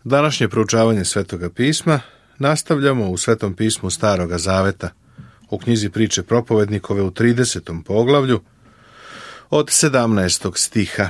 Današnje proučavanje Svetoga pisma nastavljamo u Svetom pismu Staroga Zaveta, u knjizi Priče propovednikove u 30. poglavlju od 17. stiha.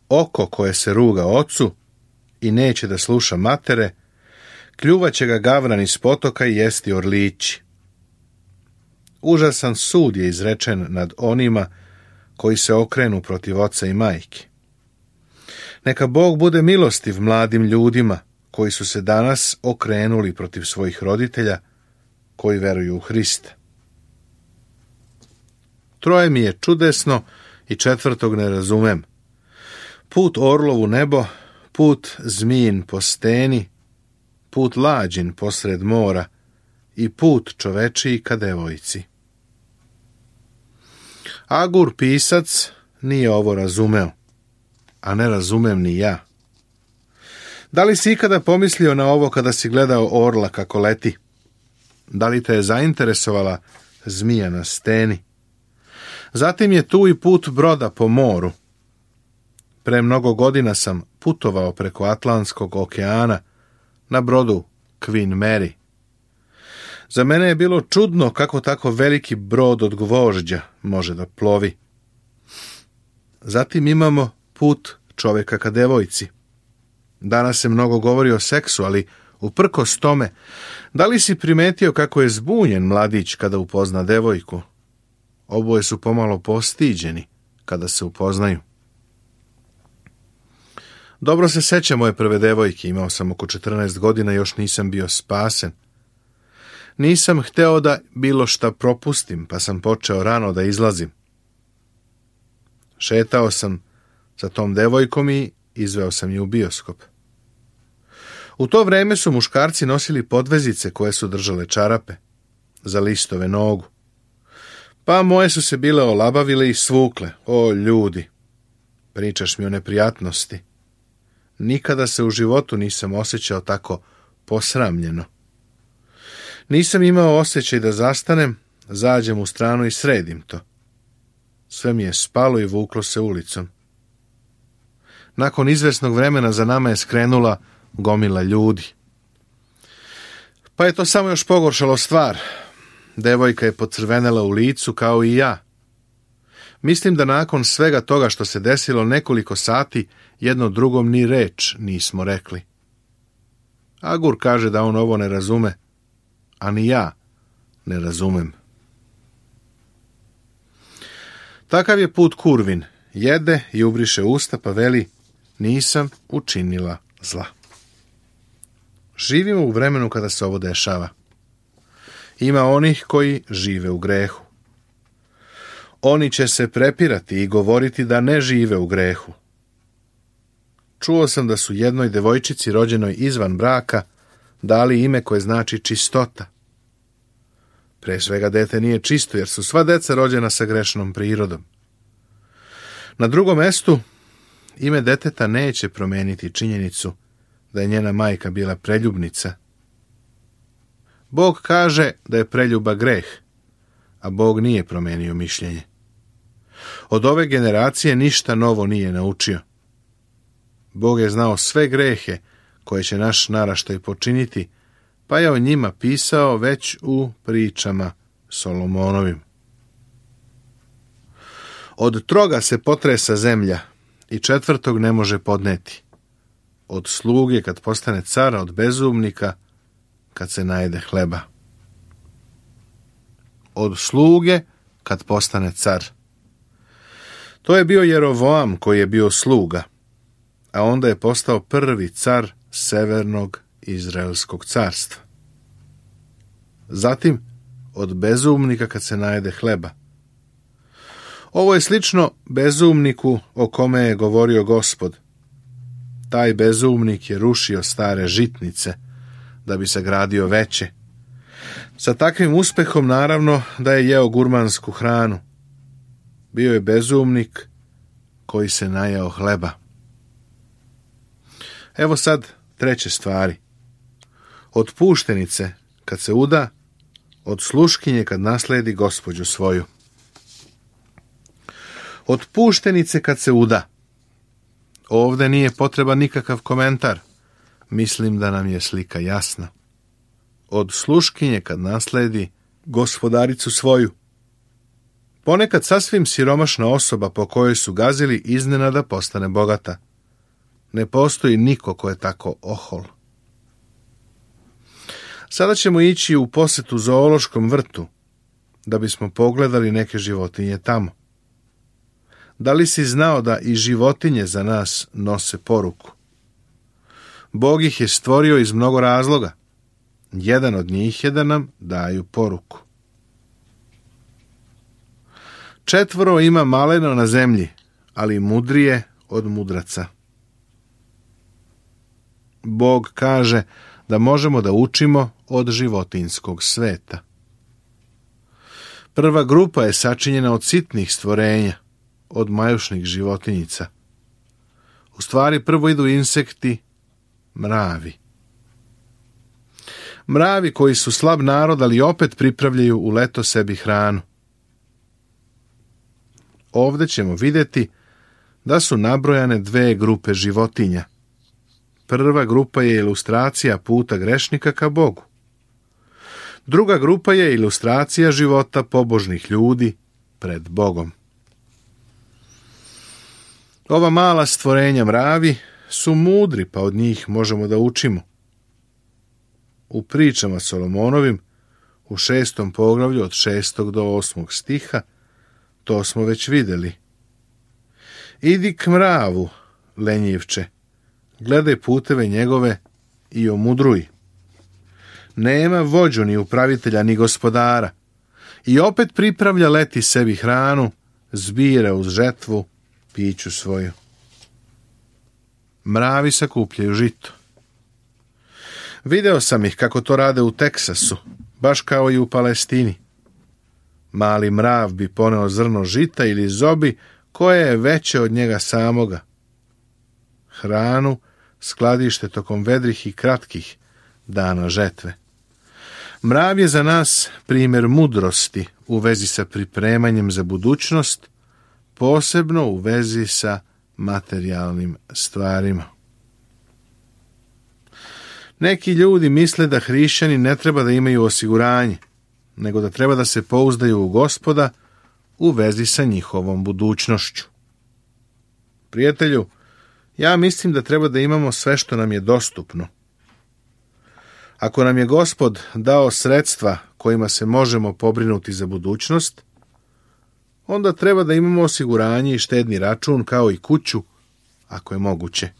Oko koje se ruga ocu i neće da sluša matere, kljuvaće ga gavran iz potoka i jesti orlići. Užasan sud je izrečen nad onima koji se okrenu protiv oca i majke. Neka Bog bude milostiv mladim ljudima koji su se danas okrenuli protiv svojih roditelja koji veruju u Hrista. Troje mi je čudesno i četvrtog ne razumem. Put orlov u nebo, put zmijin po steni, put lađin posred mora i put čovečiji ka devojci. Agur pisac nije ovo razumeo, a ne razumem ni ja. Da li si ikada pomislio na ovo kada si gledao orla kako leti? Da li te je zainteresovala zmija na steni? Zatim je tu i put broda po moru. Pre mnogo godina sam putovao preko Atlantskog okeana na brodu Queen Mary. Za mene je bilo čudno kako tako veliki brod od gvožđa može da plovi. Zatim imamo put čovjeka ka devojci. Danas se mnogo govori o seksu, ali uprkos tome, da li si primetio kako je zbunjen mladić kada upozna devojku? Oboje su pomalo postiđeni kada se upoznaju. Dobro se sećam moje prve devojke, imao sam oko 14 godina i još nisam bio spasen. Nisam hteo da bilo šta propustim, pa sam počeo rano da izlazim. Šetao sam sa tom devojkom i izveo sam je u bioskop. U to vreme su muškarci nosili podvezice koje su držale čarape za listove nogu. Pa moje su se bile olabavile i svukle. O ljudi, pričaš mi o neprijatnosti. Nikada se u životu nisam osjećao tako posramljeno. Nisam imao osjećaj da zastanem, zađem u stranu i sredim to. Sve mi je spalo i vuklo se ulicom. Nakon izvesnog vremena za nama je skrenula gomila ljudi. Pa je to samo još pogoršalo stvar. Devojka je pocrvenela u licu kao i ja. Mislim da nakon svega toga što se desilo nekoliko sati, jedno drugom ni reč nismo rekli. Agur kaže da on ovo ne razume, a ni ja ne razumem. Takav je put kurvin. Jede i ubriše usta pa veli, nisam učinila zla. Živimo u vremenu kada se ovo dešava. Ima onih koji žive u grehu. Oni će se prepirati i govoriti da ne žive u grehu. Čuo sam da su jednoj devojčici rođenoj izvan braka dali ime koje znači čistota. Pre svega dete nije čisto, jer su sva deca rođena sa grešnom prirodom. Na drugom mestu, ime deteta neće promeniti činjenicu da je njena majka bila preljubnica. Bog kaže da je preljuba greh, a Bog nije promenio mišljenje. Od ove generacije ništa novo nije naučio. Bog je znao sve grehe koje će naš naraštaj počiniti, pa je o njima pisao već u pričama Solomonovim. Od troga se potresa zemlja i četvrtog ne može podneti. Od sluge kad postane car, od bezumnika kad se najede hleba. Od sluge kad postane car. To je bio Jerovoam koji je bio sluga, a onda je postao prvi car severnog Izraelskog carstva. Zatim, od bezumnika kad se najede hleba. Ovo je slično bezumniku o kome je govorio Gospod. Taj bezumnik je rušio stare žitnice da bi sagradio veće. Sa takvim uspehom naravno da je jeo gurmansku hranu. Bio je bezumnik koji se najeo hleba. Evo sad treće stvari. Od puštenice kad se uda, od sluškinje kad nasledi gospođu svoju. Od puštenice kad se uda. Ovdje nije potreban nikakav komentar. Mislim da nam je slika jasna. Od sluškinje kad nasledi gospodaricu svoju. Ponekad sasvim siromašna osoba po kojoj su gazili iznenada postane bogata. Ne postoji niko ko je tako ohol. Sada ćemo ići u posjetu zoološkom vrtu, da bismo pogledali neke životinje tamo. Da li si znao da i životinje za nas nose poruku? Bog ih je stvorio iz mnogo razloga. Jedan od njih je da nam daju poruku. 4 ima maleno na zemlji, ali mudrije od mudraca. Bog kaže da možemo da učimo od životinjskog sveta. Prva grupa je sačinjena od sitnih stvorenja, od majušnih životinjica. U stvari prvo idu insekti, mravi. Mravi koji su slab narod, ali opet pripravljaju u leto sebi hranu. Ovdje ćemo vidjeti da su nabrojane 2 grupe životinja. Prva grupa je ilustracija puta grešnika ka Bogu. Druga grupa je ilustracija života pobožnih ljudi pred Bogom. Ova mala stvorenja mravi su mudri, pa od njih možemo da učimo. U pričama Solomonovim, u 6. poglavlju od 6. do 8. stiha, to smo već vidjeli. Idi k mravu, lenjivče, gledaj puteve njegove i omudruj. Nema vođu ni upravitelja ni gospodara i opet pripravlja leti sebi hranu, zbira uz žetvu piću svoju. Mravi sakupljaju žito. Video sam ih kako to rade u Teksasu, baš kao i u Palestini. Mali mrav bi poneo zrno žita ili zobi koje je veće od njega samoga. Hranu skladište tokom vedrih i kratkih dana žetve. Mrav je za nas primjer mudrosti u vezi sa pripremanjem za budućnost, posebno u vezi sa materijalnim stvarima. Neki ljudi misle da hrišćani ne treba da imaju osiguranje, nego da treba da se pouzdaju u Gospoda u vezi sa njihovom budućnošću. Prijatelju, ja mislim da treba da imamo sve što nam je dostupno. Ako nam je Gospod dao sredstva kojima se možemo pobrinuti za budućnost, onda treba da imamo osiguranje i štedni račun kao i kuću, ako je moguće.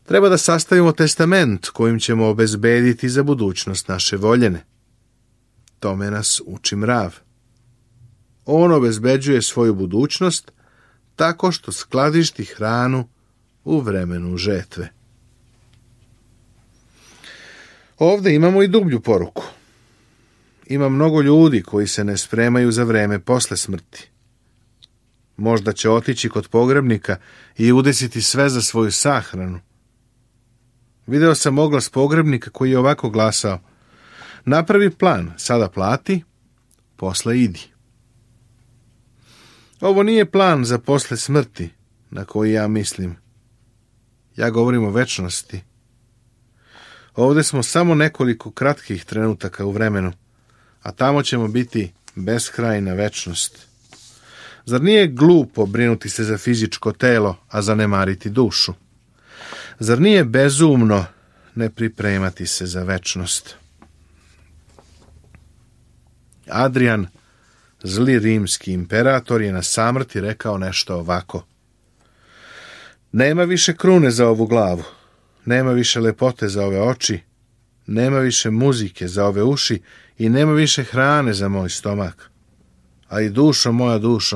Treba da sastavimo testament kojim ćemo obezbediti za budućnost naše voljene. Tome nas uči mrav. On obezbeđuje svoju budućnost tako što skladišti hranu u vremenu žetve. Ovdje imamo i dublju poruku. Ima mnogo ljudi koji se ne spremaju za vreme posle smrti. Možda će otići kod pogrebnika i udesiti sve za svoju sahranu. Video sam oglas pogrebnika koji je ovako glasao: napravi plan, sada plati, posle idi. Ovo nije plan za posle smrti, na koji ja mislim. Ja govorim o večnosti. Ovdje smo samo nekoliko kratkih trenutaka u vremenu, a tamo ćemo biti beskrajna večnost. Zar nije glupo brinuti se za fizičko telo, a zanemariti dušu? Zar nije bezumno ne pripremati se za večnost? Adrian, zli rimski imperator, je na samrti rekao nešto ovako: nema više krune za ovu glavu, nema više lepote za ove oči, nema više muzike za ove uši i nema više hrane za moj stomak. A i dušo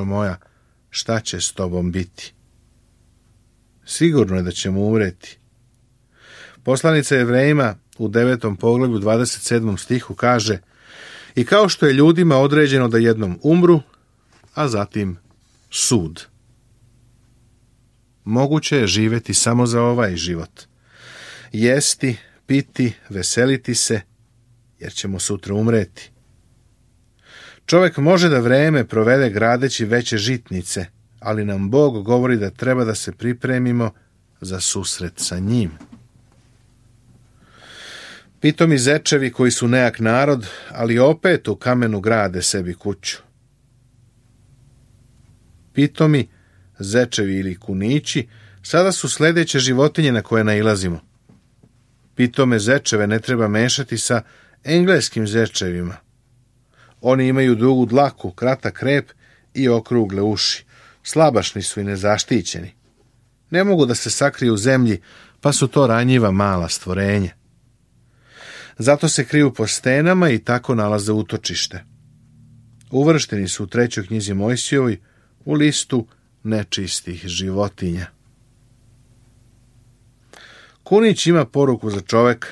moja, šta će s tobom biti? Sigurno je da ćemo umreti. Poslanica Jevrejima u 9. poglavlju 27. stihu kaže: i kao što je ljudima određeno da jednom umru, a zatim sud. Moguće je živjeti samo za ovaj život. Jesti, piti, veseliti se, jer ćemo sutra umreti. Čovjek može da vreme provede gradeći veće žitnice, ali nam Bog govori da treba da se pripremimo za susret sa njim. Pitomi zečevi koji su nejak narod, ali opet u kamenu grade sebi kuću. Pitomi zečevi ili kunići sada su sljedeće životinje na koje nailazimo. Pitome zečeve ne treba mešati sa engleskim zečevima. Oni imaju dugu dlaku, kratak rep i okrugle uši. Slabašni su i nezaštićeni. Ne mogu da se sakriju u zemlji, pa su to ranjiva mala stvorenja. Zato se kriju po stenama i tako nalaze utočište. Uvršteni su u 3. knjizi Mojsijevoj u listu nečistih životinja. Kunić ima poruku za čoveka.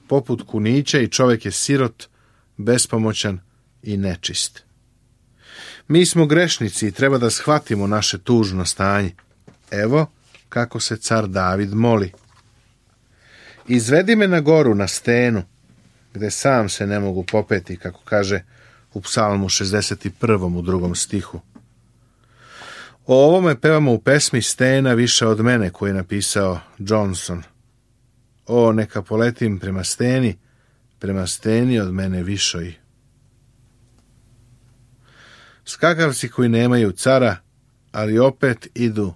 Poput kunića i čovjek je sirot, bespomoćan i nečist. Mi smo grešnici i treba da shvatimo naše tužno stanje. Evo kako se car David moli. Izvedi me na goru, na stenu, gde sam se ne mogu popeti, kako kaže u Psalmu 61. u 2. stihu. O ovome pevamo u pesmi Stena više od mene, koju je napisao Johnson. O, neka poletim prema steni od mene višoj. Skakavci koji nemaju cara, ali opet idu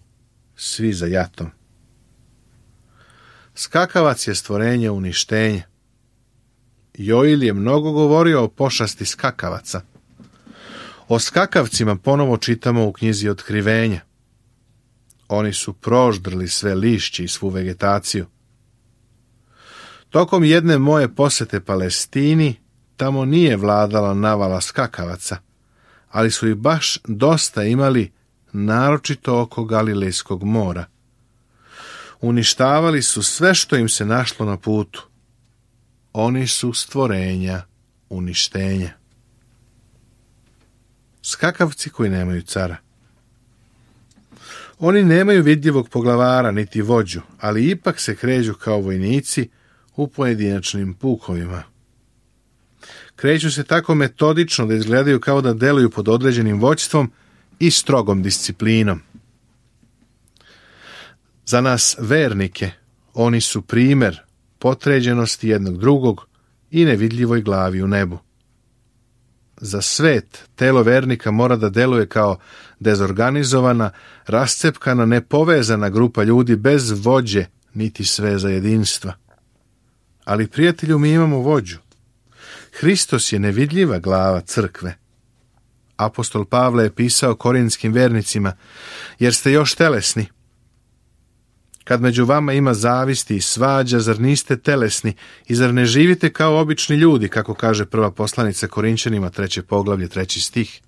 svi za jatom. Skakavac je stvorenje uništenja. Joil je mnogo govorio o pošasti skakavaca. O skakavcima ponovo čitamo u knjizi Otkrivenja. Oni su proždrli sve lišće i svu vegetaciju. Tokom jedne moje posete Palestini, tamo nije vladala navala skakavaca, ali su ih baš dosta imali, naročito oko Galilejskog mora. Uništavali su sve što im se našlo na putu. Oni su stvorenja uništenja. Skakavci koji nemaju cara. Oni nemaju vidljivog poglavara niti vođu, ali ipak se kreću kao vojnici u pojedinačnim pukovima. Kreću se tako metodično da izgledaju kao da deluju pod određenim vođstvom i strogom disciplinom. Za nas vernike oni su primer potređenosti jednog drugog i nevidljivoj glavi u nebu. Za svet telo vernika mora da deluje kao dezorganizovana, rascepkana, nepovezana grupa ljudi bez vođe niti sveza jedinstva. Ali, prijatelju, mi imamo vođu. Hristos je nevidljiva glava crkve. Apostol Pavle je pisao korintskim vernicima, jer ste još telesni. Kad među vama ima zavisti i svađa, zar niste telesni i zar ne živite kao obični ljudi, kako kaže prva poslanica Korinćanima, 3. poglavlje, 3. stih.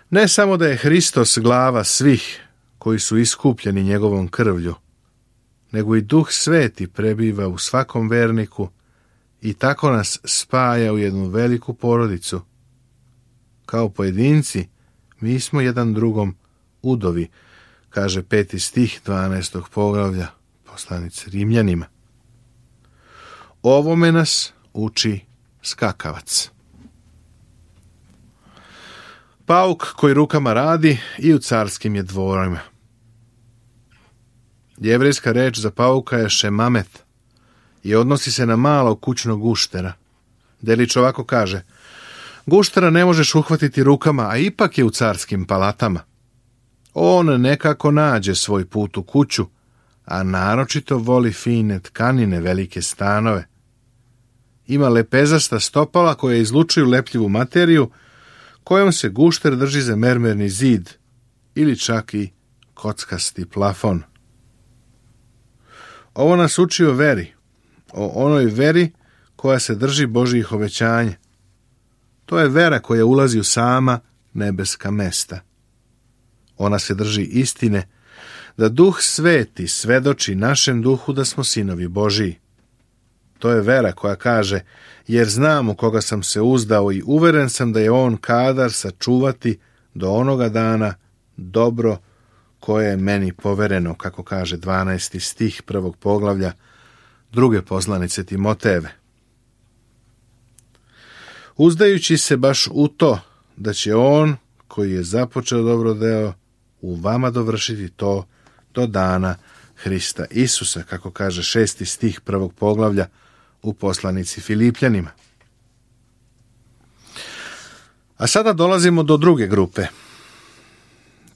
Ne samo da je Hristos glava svih koji su iskupljeni njegovom krvlju, nego i Duh Sveti prebiva u svakom verniku i tako nas spaja u jednu veliku porodicu. Kao pojedinci, mi smo jedan drugom udovi, kaže 5. stih 12. poglavlja poslanice Rimljanima. Ovome nas uči skakavac. Pauk koji rukama radi i u carskim je dvorima. Jevrejska reč za pauka je šemamet i odnosi se na malog kućnog guštera. Delić ovako kaže: guštera ne možeš uhvatiti rukama, a ipak je u carskim palatama. On nekako nađe svoj put u kuću, a naročito voli fine tkanine, velike stanove. Ima lepezasta stopala koja izlučuju lepljivu materiju, kojom se gušter drži za mermerni zid ili čak i kockasti plafon. Ovo nas uči o veri, o onoj veri koja se drži Božjih obećanja. To je vera koja ulazi u sama nebeska mesta. Ona se drži istine, da Duh Sveti svedoči našem duhu da smo sinovi Božiji. To je vera koja kaže: jer znam u koga sam se uzdao i uveren sam da je on kadar sačuvati do onoga dana dobro koje je meni povereno, kako kaže 12. stih 1. poglavlja 2. poslanice Timotejeve. Uzdajući se baš u to da će on, koji je započeo dobro deo, u vama dovršiti to do dana Hrista Isusa, kako kaže 6. stih 1. poglavlja u poslanici Filipljanima. A sada dolazimo do druge grupe.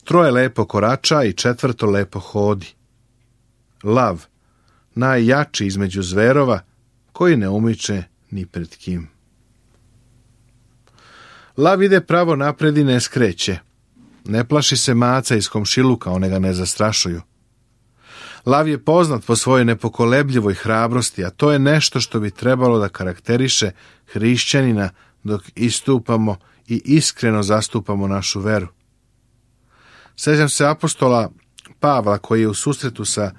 3 lepo korača i 4 lepo hodi. Lav, najjači između zverova, koji ne umiče ni pred kim. Lav ide pravo napred i ne skreće. Ne plaši se maca iz komšiluka, one ga ne zastrašuju. Lav je poznat po svojoj nepokolebljivoj hrabrosti, a to je nešto što bi trebalo da karakteriše hrišćanina dok istupamo i iskreno zastupamo našu veru. Sjećam se apostola Pavla koji je u susretu sa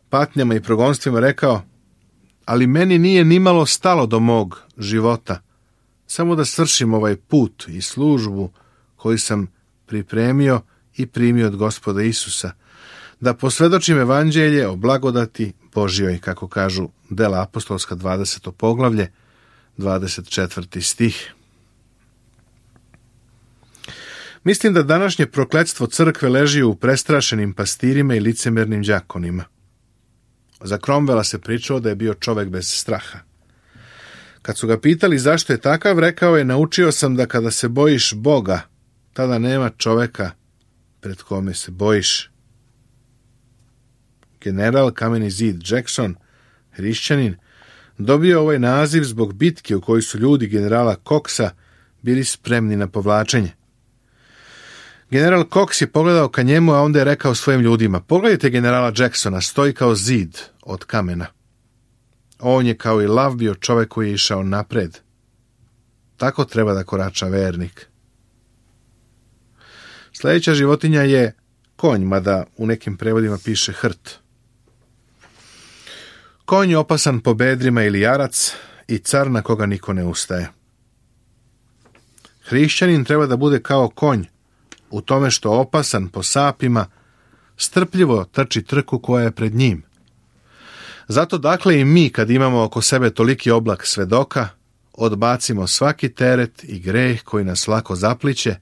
patnjama i progonstvima rekao: ali meni nije nimalo stalo do mog života, samo da svršim ovaj put i službu koju sam pripremio i primio od Gospoda Isusa, da posvjedočim evanđelje o blagodati Božjoj, kako kažu Dela apostolska 20. poglavlje, 24. stih. Mislim da današnje prokletstvo crkve leži u prestrašenim pastirima i licemernim đakonima. Za Cromwella se pričalo da je bio čovek bez straha. Kad su ga pitali zašto je takav, rekao je: naučio sam da kada se bojiš Boga, tada nema čoveka pred kome se bojiš. General Kameni zid Jackson, hrišćanin, dobio ovaj naziv zbog bitke u kojoj su ljudi generala Coxa bili spremni na povlačenje. General Cox je pogledao ka njemu, a onda je rekao svojim ljudima: pogledajte generala Jacksona, stoji kao zid od kamena. On je kao i lav bio čovjek koji je išao napred. Tako treba da korača vernik. Sljedeća životinja je konj, mada u nekim prevodima piše hrt. Konj je opasan po bedrima ili jarac i car na koga niko ne ustaje. Hrišćanin treba da bude kao konj, u tome što opasan po sapima, strpljivo trči trku koja je pred njim. Zato dakle i mi, kad imamo oko sebe toliki oblak svedoka, odbacimo svaki teret i greh koji nas lako zapliće,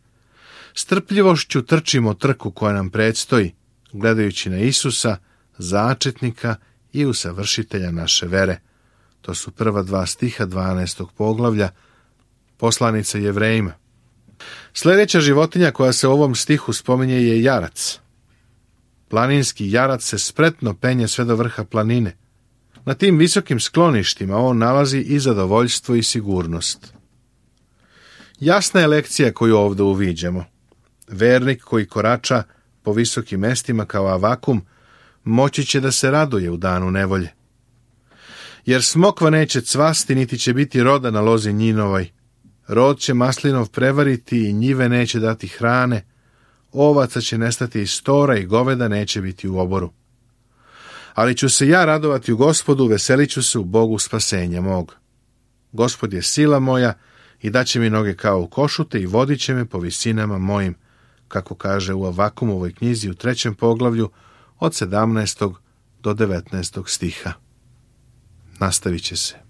strpljivošću trčimo trku koja nam predstoji, gledajući na Isusa, začetnika i usavršitelja naše vere. To su prva 2 stiha 12. poglavlja poslanice Jevrejima. Sljedeća životinja koja se u ovom stihu spominje je jarac. Planinski jarac se spretno penje sve do vrha planine. Na tim visokim skloništima on nalazi i zadovoljstvo i sigurnost. Jasna je lekcija koju ovdje uviđamo. Vernik koji korača po visokim mestima kao Avakum moći će da se raduje u danu nevolje. Jer smokva neće cvasti, niti će biti roda na lozi njinovoj. Rod će maslinov prevariti i njive neće dati hrane, ovaca će nestati iz stora i goveda neće biti u oboru. Ali ću se ja radovati u Gospodu, veselit ću se u Bogu spasenja mog. Gospod je sila moja i daće mi noge kao u košute i vodit će me po visinama mojim, kako kaže u Avakumovoj knjizi u 3. poglavlju od 17. do 19. stiha. Nastavit će se.